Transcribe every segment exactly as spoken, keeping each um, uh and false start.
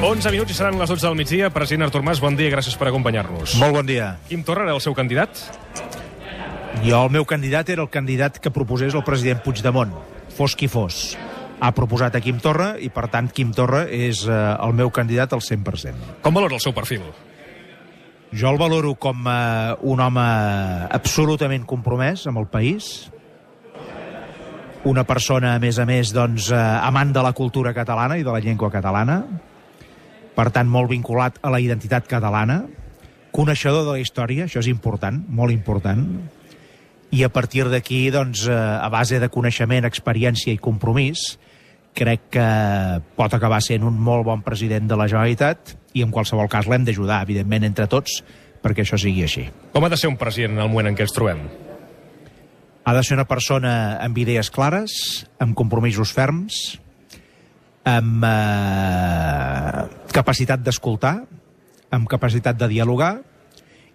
onze minuts i seran les dotze del migdia. President Artur Mas, bon dia i gràcies per acompanyar-nos. Molt bon dia. Quim Torra era el seu candidat? Jo, el meu candidat era el candidat que proposés el president Puigdemont, fos qui fos. Ha proposat a Quim Torra i, per tant, Quim Torra és eh, el meu candidat al cent per cent. Com valora el seu perfil? Jo el valoro com eh, un home absolutament compromès amb el país, una persona, a més a més, doncs, eh, amant de la cultura catalana i de la llengua catalana, per tant, molt vinculat a la identitat catalana, coneixedor de la història, això és important, molt important, i a partir d'aquí, doncs, a base de coneixement, experiència i compromís, crec que pot acabar sent un molt bon president de la Generalitat i en qualsevol cas l'hem d'ajudar, evidentment, entre tots, perquè això sigui així. Com ha de ser un president en el moment en què ens trobem? Ha de ser una persona amb idees clares, amb compromisos ferms, amb eh, capacitat d'escoltar, amb capacitat de dialogar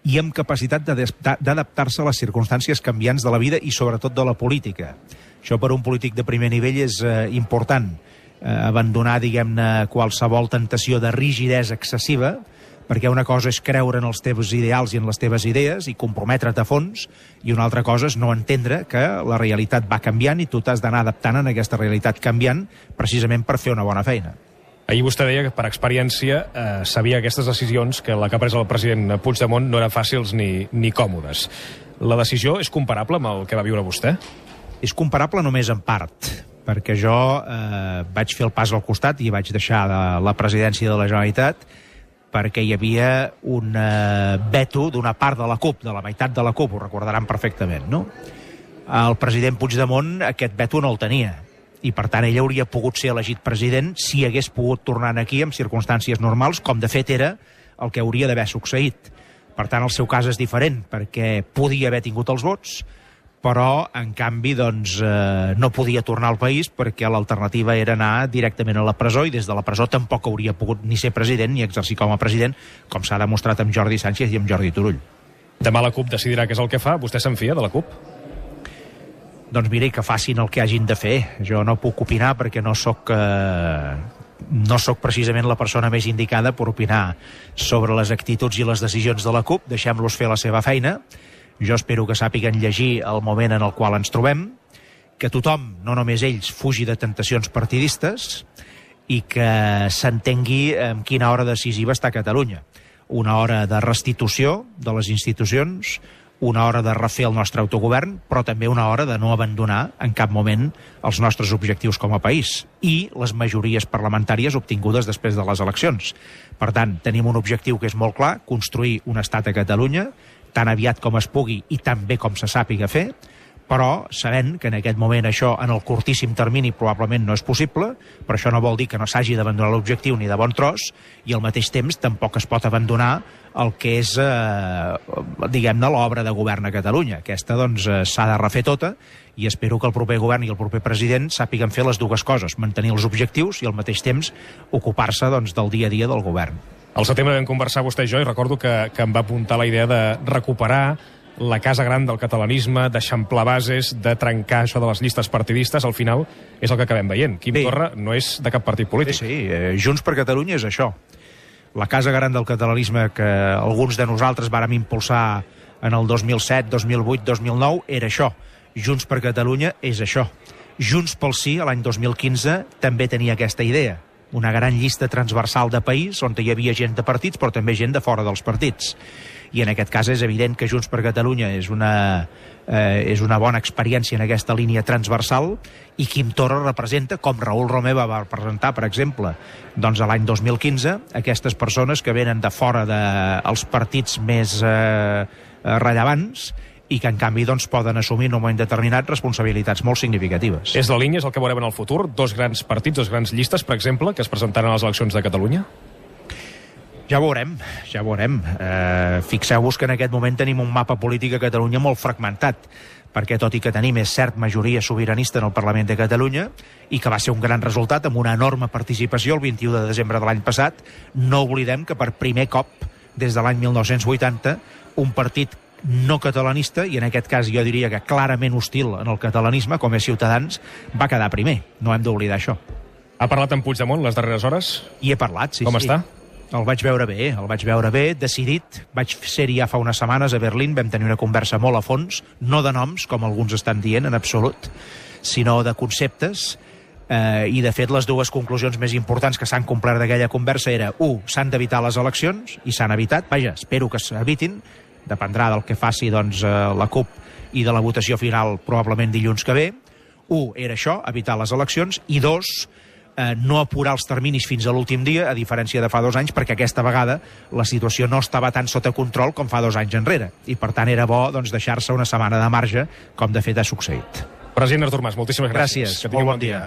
i amb capacitat d'adaptar-se a les circumstàncies canviants de la vida i sobretot de la política. Això per un polític de primer nivell és eh, important, eh, abandonar, diguem-ne, qualsevol tentació de rigidesa excessiva, perquè una cosa és creure en els teus ideals i en les teves idees i comprometre't a fons, i una altra cosa és no entendre que la realitat va canviant i tu t'has d'anar adaptant en aquesta realitat canviant precisament per fer una bona feina. Ahir vostè deia que per experiència eh, sabia aquestes decisions que la que ha pres el president Puigdemont no eren fàcils ni, ni còmodes. La decisió és comparable amb el que va viure vostè? És comparable només en part, perquè jo eh, vaig fer el pas al costat i vaig deixar de la presidència de la Generalitat perquè hi havia un eh, veto d'una part de la CUP, de la meitat de la CUP, ho recordaran perfectament, no? El president Puigdemont aquest veto no el tenia, i per tant ell hauria pogut ser elegit president si hagués pogut tornar aquí en circumstàncies normals, com de fet era el que hauria d'haver succeït. Per tant, el seu cas és diferent, perquè podia haver tingut els vots, però, en canvi, doncs, eh, no podia tornar al país perquè l'alternativa era anar directament a la presó i des de la presó tampoc hauria pogut ni ser president ni exercir com a president, com s'ha demostrat amb Jordi Sànchez i amb Jordi Turull. Demà la CUP decidirà què és el que fa. Vostè se'n fia de la CUP? Doncs mira, que facin el que hagin de fer. Jo no puc opinar perquè no sóc... Eh... no sóc precisament la persona més indicada per opinar sobre les actituds i les decisions de la CUP. Deixem-los fer la seva feina. Jo espero que sàpiguen llegir el moment en el qual ens trobem, que tothom, no només ells, fugi de tentacions partidistes i que s'entengui en quina hora decisiva està Catalunya. Una hora de restitució de les institucions, una hora de refer el nostre autogovern, però també una hora de no abandonar en cap moment els nostres objectius com a país i les majories parlamentàries obtingudes després de les eleccions. Per tant, tenim un objectiu que és molt clar, construir un estat a Catalunya, tan aviat com es pugui i tan bé com se sàpiga fer, però sabent que en aquest moment això en el curtíssim termini probablement no és possible, però això no vol dir que no s'hagi d'abandonar l'objectiu ni de bon tros, i al mateix temps tampoc es pot abandonar el que és, eh, diguem-ne, l'obra de govern a Catalunya. Aquesta, doncs, s'ha de refer tota, i espero que el proper govern i el proper president sàpiguen fer les dues coses, mantenir els objectius i al mateix temps ocupar-se, doncs, del dia a dia del govern. Al setembre vam conversar vostè i jo i recordo que, que em va apuntar la idea de recuperar la casa gran del catalanisme, d'eixamplar bases, de trencar això de les llistes partidistes. Al final és el que acabem veient. Quim Bé. Torra no és de cap partit polític. Sí, sí, eh, Junts per Catalunya és això. La casa gran del catalanisme que alguns de nosaltres vàrem impulsar en el dos mil set, dos mil vuit, dos mil nou era això. Junts per Catalunya és això. Junts pel Sí, l'any dos mil quinze, també tenia aquesta idea. Una gran llista transversal de país on hi havia gent de partits però també gent de fora dels partits. I en aquest cas és evident que Junts per Catalunya és una, eh, és una bona experiència en aquesta línia transversal i Quim Torra representa, com Raül Romeva va representar, per exemple, doncs a l'any dos mil quinze, aquestes persones que venen de fora dels partits més eh, rellevants i que, en canvi, doncs, poden assumir en un moment determinat responsabilitats molt significatives. És la línia, és el que veurem en el futur? Dos grans partits, dos grans llistes, per exemple, que es presentaran a les eleccions de Catalunya? Ja ho veurem, ja ho veurem. Eh, Fixeu-vos que en aquest moment tenim un mapa polític a Catalunya molt fragmentat, perquè tot i que tenim, és cert, majoria sobiranista en el Parlament de Catalunya, i que va ser un gran resultat amb una enorme participació el vint-i-u de desembre de l'any passat, no oblidem que per primer cop, des de l'any mil nou-cents vuitanta, un partit no catalanista, i en aquest cas jo diria que clarament hostil en el catalanisme, com és Ciutadans, va quedar primer. No hem d'oblidar això. Ha parlat amb Puigdemont les darreres hores? Hi he parlat, sí. Com sí. està? El vaig veure bé, el vaig veure bé, decidit. Vaig ser-hi ja fa unes setmanes a Berlín, vam tenir una conversa molt a fons, no de noms, com alguns estan dient, en absolut, sinó de conceptes, eh, i de fet les dues conclusions més importants que s'han complert d'aquella conversa era, u, s'han d'evitar les eleccions, i s'han evitat, vaja, espero que s'evitin, dependrà del que faci doncs, la CUP i de la votació final probablement dilluns que ve. U, era això, evitar les eleccions, i dos, eh, no apurar els terminis fins a l'últim dia, a diferència de fa dos anys, perquè aquesta vegada la situació no estava tan sota control com fa dos anys enrere, i per tant era bo doncs, deixar-se una setmana de marge, com de fet ha succeït. President Artur Mas, moltíssimes gràcies. Gràcies, molt bon dia.